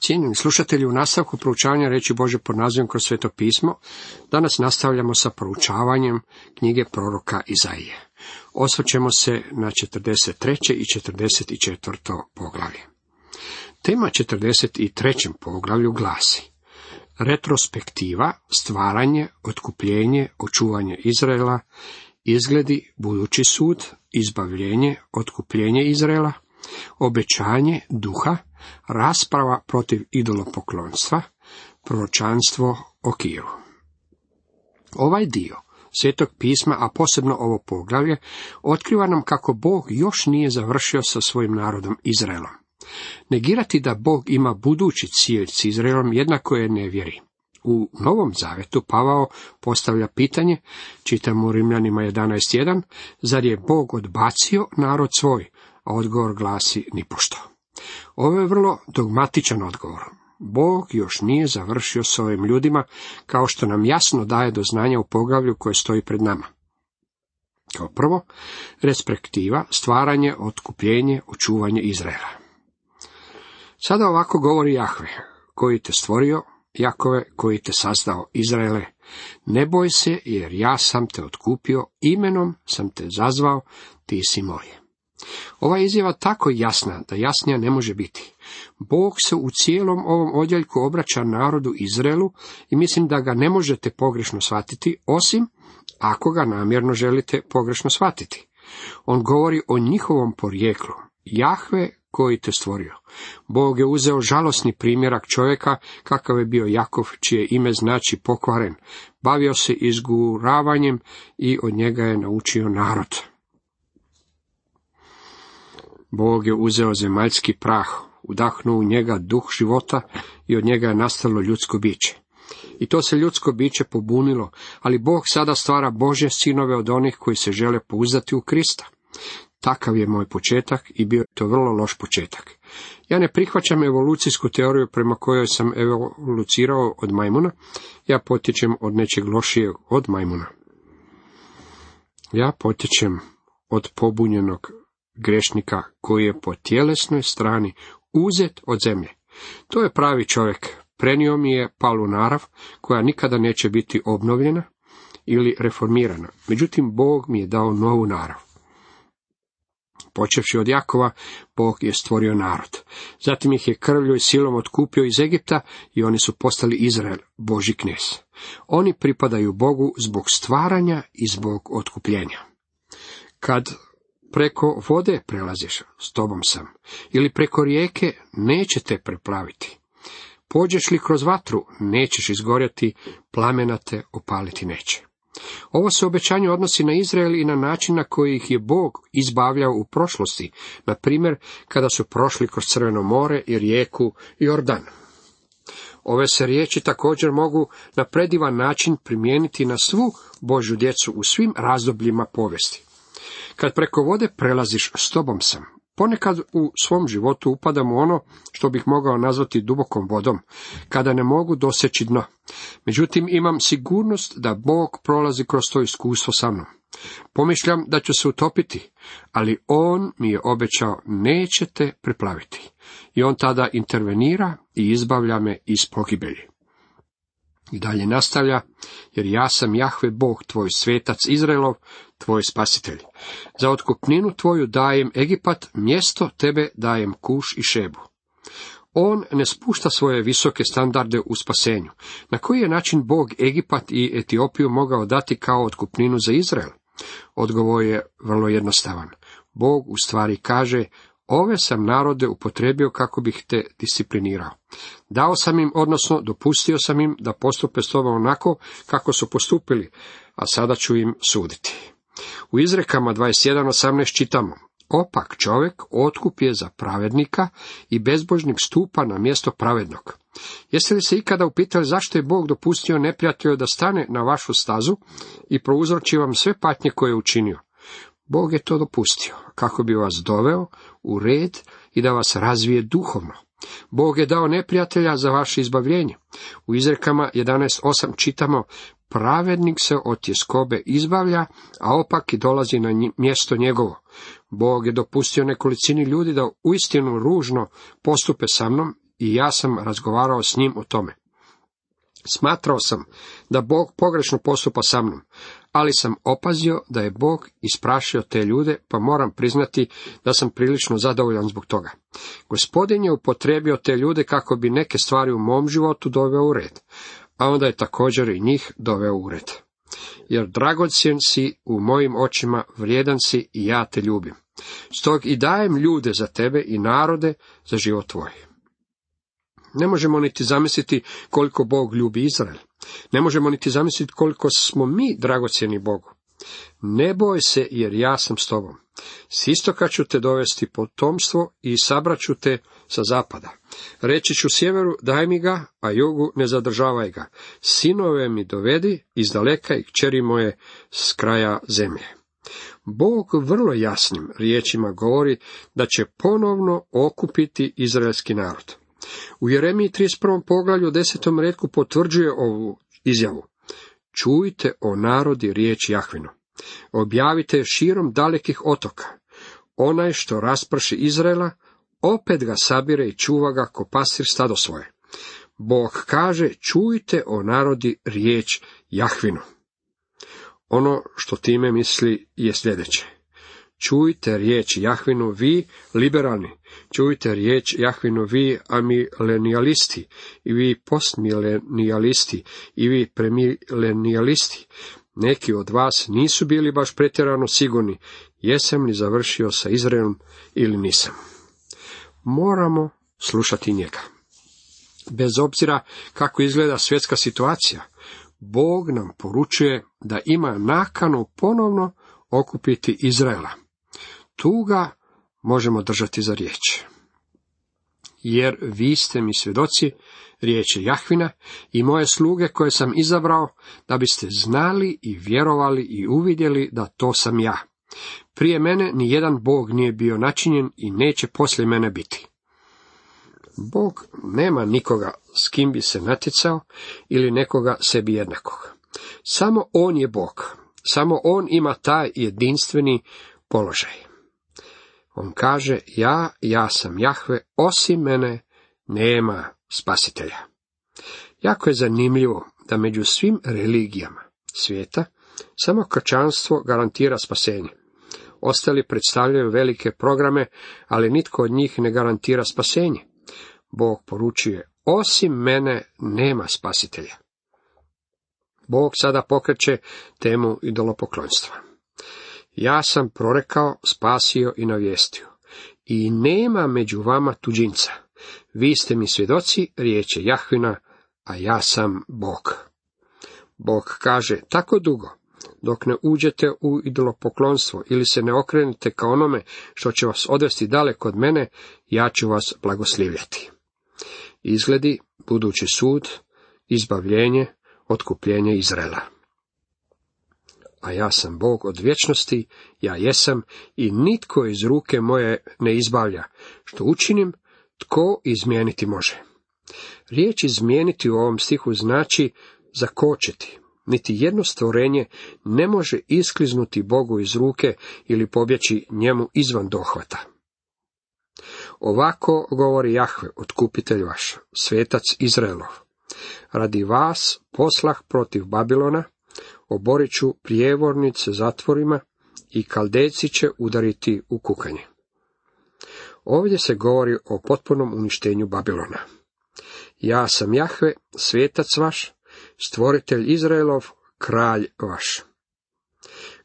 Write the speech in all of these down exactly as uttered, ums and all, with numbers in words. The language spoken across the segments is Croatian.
Cijenjeni slušatelji, u nastavku proučavanja riječi Božje pod nazivom Kroz sveto pismo, danas nastavljamo sa proučavanjem knjige proroka Izaije. Osvrćemo se na četrdeset treće i četrdeset četvrto poglavlje. Tema četrdeset trećem poglavlju glasi: retrospektiva, stvaranje, otkupljenje, očuvanje Izraela, izgledi, budući sud, izbavljenje, otkupljenje Izraela, obećanje duha, rasprava protiv idolopoklonstva, proročanstvo o Kiru. Ovaj dio Svetog pisma, a posebno ovo poglavlje, otkriva nam kako Bog još nije završio sa svojim narodom Izraelom. Negirati da Bog ima budući cilj s Izraelom jednako je nevjeri. U Novom Zavetu Pavao postavlja pitanje, čitamo u Rimljanima jedanaest jedan, zar je Bog odbacio narod svoj, a odgovor glasi nipošto. Ovo je vrlo dogmatičan odgovor. Bog još nije završio s ovim ljudima, kao što nam jasno daje do znanja u poglavlju koje stoji pred nama. Kao prvo, respektiva, stvaranje, otkupljenje, očuvanje Izraela. Sada ovako govori Jahve, koji te stvorio, Jakove, koji te sazdao, Izraele, ne boj se, jer ja sam te otkupio, imenom sam te zazvao, ti si moj. Ova izjava tako jasna da jasnija ne može biti. Bog se u cijelom ovom odjeljku obraća narodu Izraelu i mislim da ga ne možete pogrešno shvatiti, osim ako ga namjerno želite pogrešno shvatiti. On govori o njihovom porijeklu. Jahve koji te stvorio. Bog je uzeo žalosni primjerak čovjeka, kakav je bio Jakov, čije ime znači pokvaren. Bavio se izguravanjem i od njega je naučio narod. Bog je uzeo zemaljski prah, udahnuo u njega duh života i od njega je nastalo ljudsko biće. I to se ljudsko biće pobunilo, ali Bog sada stvara Božje sinove od onih koji se žele pouzdati u Krista. Takav je moj početak i bio je to vrlo loš početak. Ja ne prihvaćam evolucijsku teoriju prema kojoj sam evolucirao od majmuna, ja potječem od nečeg lošijeg od majmuna. Ja potječem od pobunjenog grešnika koji je po tjelesnoj strani uzet od zemlje. To je pravi čovjek. Prenio mi je palu narav koja nikada neće biti obnovljena ili reformirana. Međutim, Bog mi je dao novu narav. Počevši od Jakova, Bog je stvorio narod. Zatim ih je krvlju i silom otkupio iz Egipta i oni su postali Izrael, Božji knez. Oni pripadaju Bogu zbog stvaranja i zbog otkupljenja. Kad preko vode prelaziš, s tobom sam, ili preko rijeke, neće te preplaviti. Pođeš li kroz vatru, nećeš izgorjeti, plamena te opaliti neće. Ovo se obećanje odnosi na Izrael i na način na koji ih je Bog izbavljao u prošlosti, na primjer kada su prošli kroz Crveno more i rijeku Jordan. Ove se riječi također mogu na predivan način primijeniti na svu Božju djecu u svim razdobljima povijesti. Kad preko vode prelaziš, s tobom sam. Ponekad u svom životu upadam u ono što bih mogao nazvati dubokom vodom, kada ne mogu doseći dno. Međutim, imam sigurnost da Bog prolazi kroz to iskustvo sa mnom. Pomišljam da ću se utopiti, ali On mi je obećao neće te preplaviti. I On tada intervenira i izbavlja me iz pogibelji. I dalje nastavlja, jer ja sam Jahve Bog, tvoj svetac Izraelov, tvoj spasitelj. Za otkupninu tvoju dajem Egipat, mjesto tebe dajem Kuš i Šebu. On ne spušta svoje visoke standarde u spasenju. Na koji je način Bog Egipat i Etiopiju mogao dati kao otkupninu za Izrael? Odgovor je vrlo jednostavan. Bog u stvari kaže, ove sam narode upotrijebio kako bih te disciplinirao. Dao sam im, odnosno dopustio sam im da postupe s tobom onako kako su postupili, a sada ću im suditi. U Izrekama dvadeset jedan osamnaest čitamo, opak čovjek otkup je za pravednika i bezbožnik stupa na mjesto pravednog. Jeste li se ikada upitali zašto je Bog dopustio neprijatelju da stane na vašu stazu i prouzroči vam sve patnje koje je učinio? Bog je to dopustio, kako bi vas doveo u red i da vas razvije duhovno. Bog je dao neprijatelja za vaše izbavljenje. U Izrekama jedanaest osam čitamo, pravednik se od tjeskobe izbavlja, a opak i dolazi na mjesto njegovo. Bog je dopustio nekolicini ljudi da uistinu ružno postupe sa mnom i ja sam razgovarao s njim o tome. Smatrao sam da Bog pogrešno postupa sa mnom, ali sam opazio da je Bog isprašio te ljude, pa moram priznati da sam prilično zadovoljan zbog toga. Gospodin je upotrijebio te ljude kako bi neke stvari u mom životu doveo u red, a onda je također i njih doveo u red. Jer dragocjen si u mojim očima, vrijedan si i ja te ljubim. Stog i dajem ljude za tebe i narode za život tvoj. Ne možemo niti zamisliti koliko Bog ljubi Izrael. Ne možemo niti zamisliti koliko smo mi dragocjeni Bogu. Ne boj se, jer ja sam s tobom. S istoka ću te dovesti potomstvo i sabrat ću te sa zapada. Reći ću sjeveru, daj mi ga, a jugu ne zadržavaj ga. Sinove mi dovedi iz daleka i kćeri moje s kraja zemlje. Bog vrlo jasnim riječima govori da će ponovno okupiti izraelski narod. U Jeremiji trideset prvom poglavlju desetom retku potvrđuje ovu izjavu. Čujte o narodi riječ Jahvinu. Objavite širom dalekih otoka. Onaj što rasprši Izraela, opet ga sabire i čuva ga ko pastir stado svoje. Bog kaže, čujte o narodi riječ Jahvinu. Ono što time misli je sljedeće. Čujte riječ Jahvinu vi liberalni, čujte riječ Jahvinu vi amilenijalisti, i vi postmilenijalisti, i vi premilenijalisti. Neki od vas nisu bili baš pretjerano sigurni, jesam li završio sa Izraelom ili nisam. Moramo slušati njega. Bez obzira kako izgleda svjetska situacija, Bog nam poručuje da ima nakanu ponovno okupiti Izraela. Tu ga možemo držati za riječ. Jer vi ste mi svjedoci riječi Jahvina i moje sluge koje sam izabrao, da biste znali i vjerovali i uvidjeli da to sam ja. Prije mene ni jedan Bog nije bio načinjen i neće poslije mene biti. Bog nema nikoga s kim bi se natjecao ili nekoga sebi jednakog. Samo on je Bog. Samo on ima taj jedinstveni položaj. On kaže, ja, ja sam Jahve, osim mene nema spasitelja. Jako je zanimljivo da među svim religijama svijeta samo kršćanstvo garantira spasenje. Ostali predstavljaju velike programe, ali nitko od njih ne garantira spasenje. Bog poručuje, osim mene nema spasitelja. Bog sada pokreće temu idolopoklonstva. Ja sam prorekao, spasio i navijestio. I nema među vama tuđinca. Vi ste mi svjedoci riječi Jahvina, a ja sam Bog. Bog kaže, tako dugo, dok ne uđete u idolopoklonstvo ili se ne okrenete ka onome što će vas odvesti daleko od mene, ja ću vas blagoslivljati. Izgledi, budući sud, izbavljenje, otkupljenje Izraela. A ja sam Bog od vječnosti, ja jesam i nitko iz ruke moje ne izbavlja. Što učinim, tko izmijeniti može. Riječ izmijeniti u ovom stihu znači zakočiti. Niti jedno stvorenje ne može iskliznuti Bogu iz ruke ili pobjeći njemu izvan dohvata. Ovako govori Jahve, otkupitelj vaš, svetac Izraelov. Radi vas poslah protiv Babilona, oborit ću prijevornice zatvorima i Kaldejci će udariti u kukanje. Ovdje se govori o potpunom uništenju Babilona. Ja sam Jahve, svetac vaš, stvoritelj Izraelov, kralj vaš.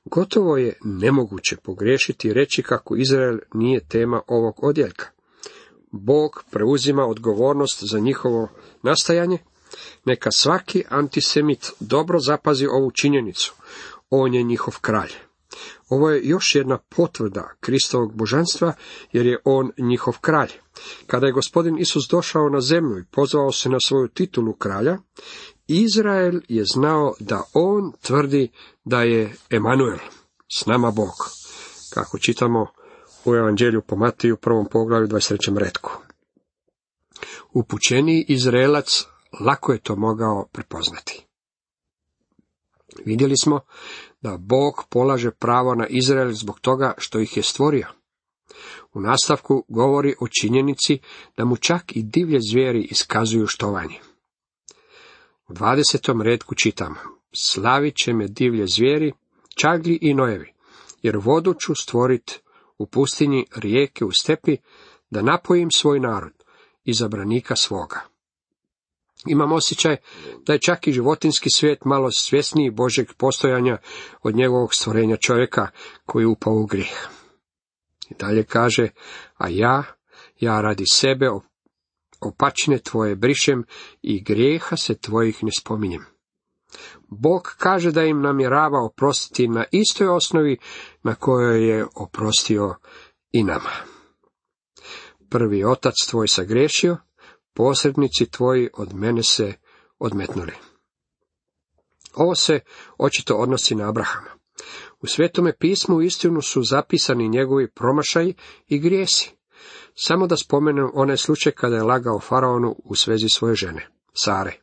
Gotovo je nemoguće pogriješiti i reći kako Izrael nije tema ovog odjeljka. Bog preuzima odgovornost za njihovo nastajanje. Neka svaki antisemit dobro zapazi ovu činjenicu. On je njihov kralj. Ovo je još jedna potvrda Kristovog božanstva, jer je on njihov kralj. Kada je gospodin Isus došao na zemlju i pozvao se na svoju titulu kralja, Izrael je znao da on tvrdi da je Emanuel, s nama Bog, kako čitamo u Evanđelju po Matiju, prvom poglavlju, dvadeset trećem retku. Upućeniji Izraelac lako je to mogao prepoznati. Vidjeli smo da Bog polaže pravo na Izrael zbog toga što ih je stvorio. U nastavku govori o činjenici da mu čak i divlje zvijeri iskazuju štovanje. U dvadesetom retku čitamo: slavit će me divlje zvijeri, čagli i nojevi, jer vodu ću stvorit u pustinji, rijeke u stepi, da napojim svoj narod, izabranika svoga. Imam osjećaj da je čak i životinjski svijet malo svjesniji Božjeg postojanja od njegovog stvorenja čovjeka koji je upao u grijeh. I dalje kaže: a ja, ja radi sebe opačine tvoje brišem i grijeha se tvojih ne spominjem. Bog kaže da im namjerava oprostiti na istoj osnovi na kojoj je oprostio i nama. Prvi otac tvoj sagriješio, posrednici tvoji od mene se odmetnuli. Ovo se očito odnosi na Abrahama. U Svetome pismu uistinu su zapisani njegovi promašaji i grijesi. Samo da spomenem onaj slučaj kada je lagao faraonu u svezi svoje žene, Sare.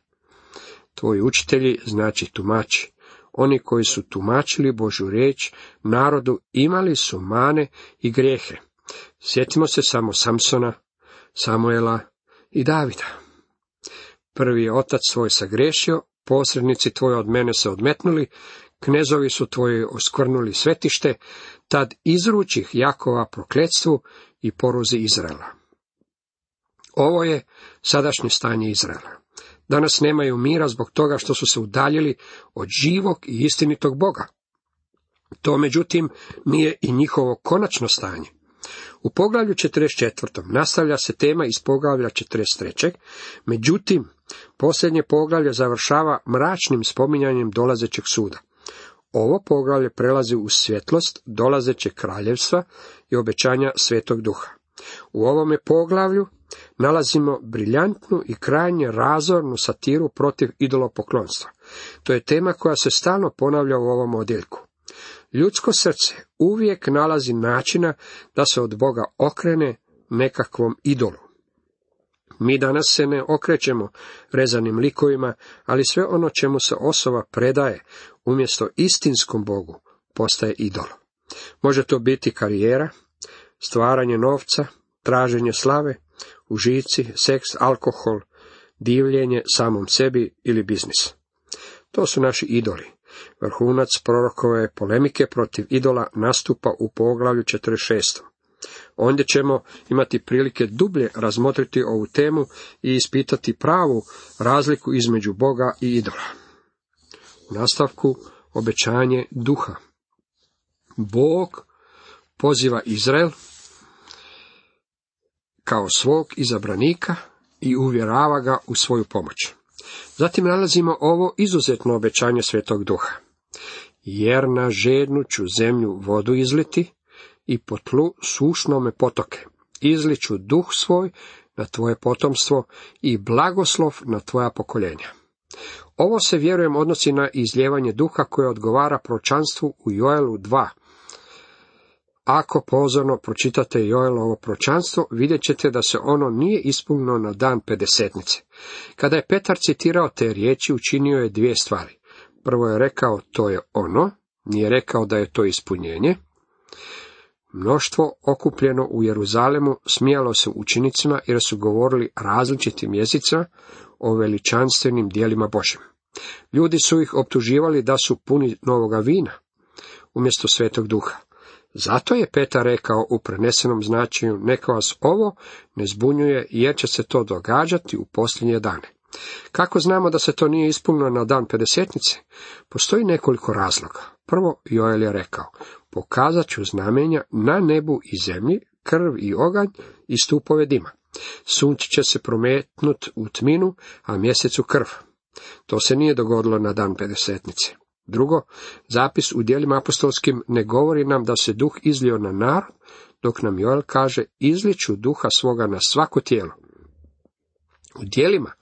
Tvoji učitelji, znači tumači, oni koji su tumačili Božju riječ narodu, imali su mane i grijehe. Sjetimo se samo Samsona, Samuela i Davida. Prvi je otac svoj sagriješio, posrednici tvoji od mene se odmetnuli, knezovi su tvoji oskvrnuli svetište, tad izručih Jakova prokletstvu i poruzi Izraela. Ovo je sadašnje stanje Izraela. Danas nemaju mira zbog toga što su se udaljili od živog i istinitog Boga. To, međutim, nije i njihovo konačno stanje. U poglavlju četrdeset četvrtom nastavlja se tema iz poglavlja četrdeset trećeg Međutim, posljednje poglavlje završava mračnim spominjanjem dolazećeg suda. Ovo poglavlje prelazi u svjetlost dolazećeg kraljevstva i obećanja Svetog Duha. U ovome poglavlju nalazimo briljantnu i krajnje razornu satiru protiv idolopoklonstva. To je tema koja se stalno ponavlja u ovom odjeljku. Ljudsko srce uvijek nalazi načina da se od Boga okrene nekakvom idolu. Mi danas se ne okrećemo rezanim likovima, ali sve ono čemu se osoba predaje umjesto istinskom Bogu postaje idol. Može to biti karijera, stvaranje novca, traženje slave, užici, seks, alkohol, divljenje samom sebi ili biznis. To su naši idoli. Vrhunac prorokove polemike protiv idola nastupa u poglavlju četrdeset šestom Ondje ćemo imati prilike dublje razmotriti ovu temu i ispitati pravu razliku između Boga i idola. U nastavku obećanje duha. Bog poziva Izrael kao svog izabranika i uvjerava ga u svoju pomoć. Zatim nalazimo ovo izuzetno obećanje Svetog Duha. Jer na žednu ću zemlju vodu izliti i po tlu sušnome potoke. Izliću duh svoj na tvoje potomstvo i blagoslov na tvoja pokoljenja. Ovo se, vjerujem, odnosi na izljevanje duha koje odgovara proročanstvu u Joelu dva. Ako pozorno pročitate Joelovo proročanstvo, vidjet ćete da se ono nije ispunilo na dan pedesetnice. Kada je Petar citirao te riječi, učinio je dvije stvari. Prvo je rekao, to je ono, nije rekao da je to ispunjenje. Mnoštvo okupljeno u Jeruzalemu smijalo se učenicima jer su govorili različitim jezicima o veličanstvenim djelima Božjim. Ljudi su ih optuživali da su puni novoga vina umjesto Svetog Duha. Zato je Petar rekao u prenesenom značenju, neka vas ovo ne zbunjuje jer će se to događati u posljednje dane. Kako znamo da se to nije ispunilo na dan pedesetnice? Postoji nekoliko razloga. Prvo, Joel je rekao, pokazat ću znamenja na nebu i zemlji, krv i oganj i stupove dima. Sunce će se prometnut u tminu, a mjesec u krv. To se nije dogodilo na dan pedesetnice. Drugo, zapis u djelima apostolskim ne govori nam da se duh izlio na narod, dok nam Joel kaže, izliću duha svoga na svako tijelo. U djelima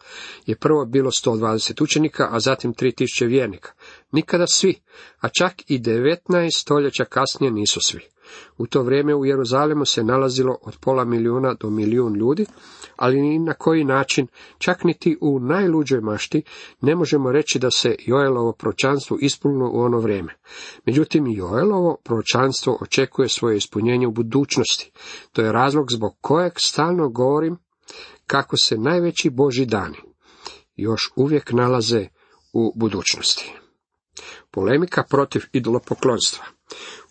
je prvo bilo sto dvadeset učenika, a zatim tri tisuće vjernika. Nikada svi, a čak i devetnaest stoljeća kasnije nisu svi. U to vrijeme u Jeruzalemu se nalazilo od pola milijuna do milijun ljudi, ali ni na koji način, čak niti u najluđoj mašti, ne možemo reći da se Joelovo proročanstvo ispunilo u ono vrijeme. Međutim, Joelovo proročanstvo očekuje svoje ispunjenje u budućnosti. To je razlog zbog kojeg stalno govorim kako se najveći Božji dani još uvijek nalaze u budućnosti. Polemika protiv idolopoklonstva.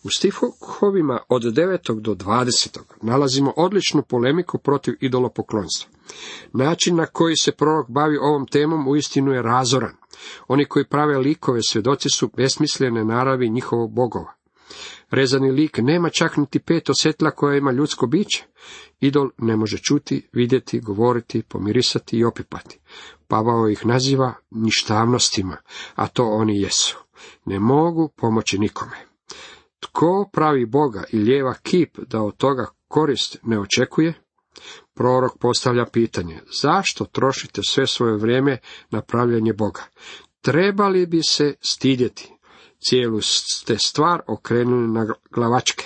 U stihovima od devetog do dvadesetog nalazimo odličnu polemiku protiv idolopoklonstva. Način na koji se prorok bavi ovom temom uistinu je razoran. Oni koji prave likove svjedoci su besmislene naravi njihovog bogova. Rezani lik nema čak niti pet osjetla koja ima ljudsko biće. Idol ne može čuti, vidjeti, govoriti, pomirisati i opipati. Pavao ih naziva ništavnostima, a to oni jesu. Ne mogu pomoći nikome. Tko pravi Boga i lijeva kip da od toga korist ne očekuje? Prorok postavlja pitanje, zašto trošite sve svoje vrijeme na pravljenje Boga? Trebali bi se stidjeti. Cijelu ste stvar okrenuli na glavačke.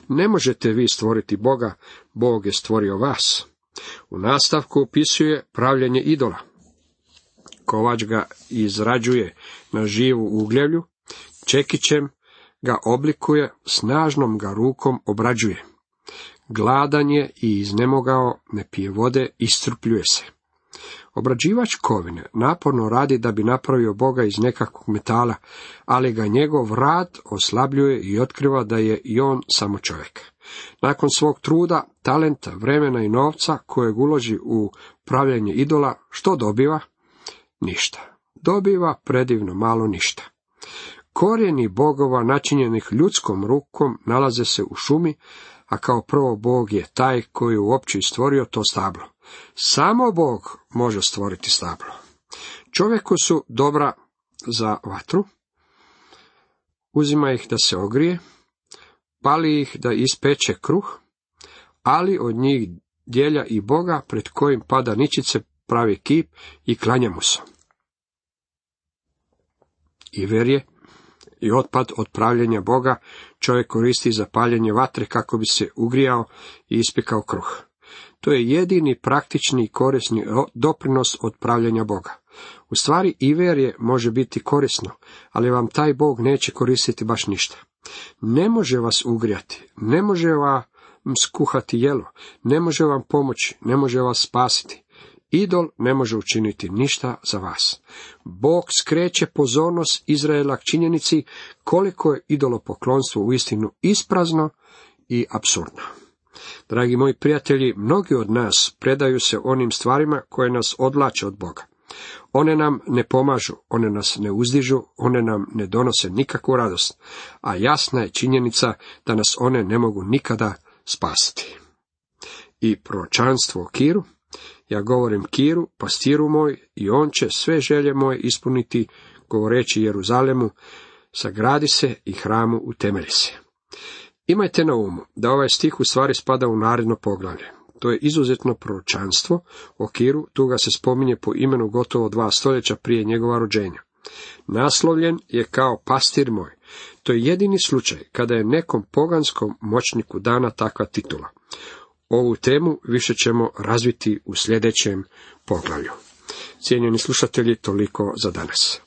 Ne možete vi stvoriti Boga, Bog je stvorio vas. U nastavku opisuje pravljenje idola. Kovač ga izrađuje na živu ugljevlju, čekićem ga oblikuje, snažnom ga rukom obrađuje. Gladan je i iznemogao, ne pije vode, iscrpljuje se. Obrađivač kovine naporno radi da bi napravio Boga iz nekakvog metala, ali ga njegov rad oslabljuje i otkriva da je i on samo čovjek. Nakon svog truda, talenta, vremena i novca kojeg uloži u pravljenje idola, što dobiva? Ništa. Dobiva predivno malo ništa. Korijeni bogova načinjenih ljudskom rukom nalaze se u šumi, a kao prvo Bog je taj koji je uopće stvorio to stablo. Samo Bog može stvoriti stablo. Čovjeku su dobra za vatru, uzima ih da se ogrije, pali ih da ispeče kruh, ali od njih djelja i Boga pred kojim pada ničice pravi kip i klanja mu se. I verje i otpad od pravljenja Boga čovjek koristi za paljenje vatre kako bi se ugrijao i ispekao kruh. To je jedini praktični i korisni doprinos od pravljenja Boga. U stvari i verje može biti korisno, ali vam taj Bog neće koristiti baš ništa. Ne može vas ugrijati, ne može vam skuhati jelo, ne može vam pomoći, ne može vas spasiti. Idol ne može učiniti ništa za vas. Bog skreće pozornost Izraela k činjenici koliko je idolopoklonstvo uistinu isprazno i apsurdno. Dragi moji prijatelji, mnogi od nas predaju se onim stvarima koje nas odvlače od Boga. One nam ne pomažu, one nas ne uzdižu, one nam ne donose nikakvu radost, a jasna je činjenica da nas one ne mogu nikada spasiti. I proročanstvo o Kiru, ja govorim Kiru, pastiru moj, i on će sve želje moje ispuniti, govoreći Jeruzalemu, sagradi se i hramu utemelji se. Imajte na umu da ovaj stih u stvari spada u naredno poglavlje. To je izuzetno proročanstvo o Kiru, tu ga se spominje po imenu gotovo dva stoljeća prije njegova rođenja. Naslovljen je kao pastir moj. To je jedini slučaj kada je nekom poganskom moćniku dana takva titula. Ovu temu više ćemo razviti u sljedećem poglavlju. Cijenjeni slušatelji, toliko za danas.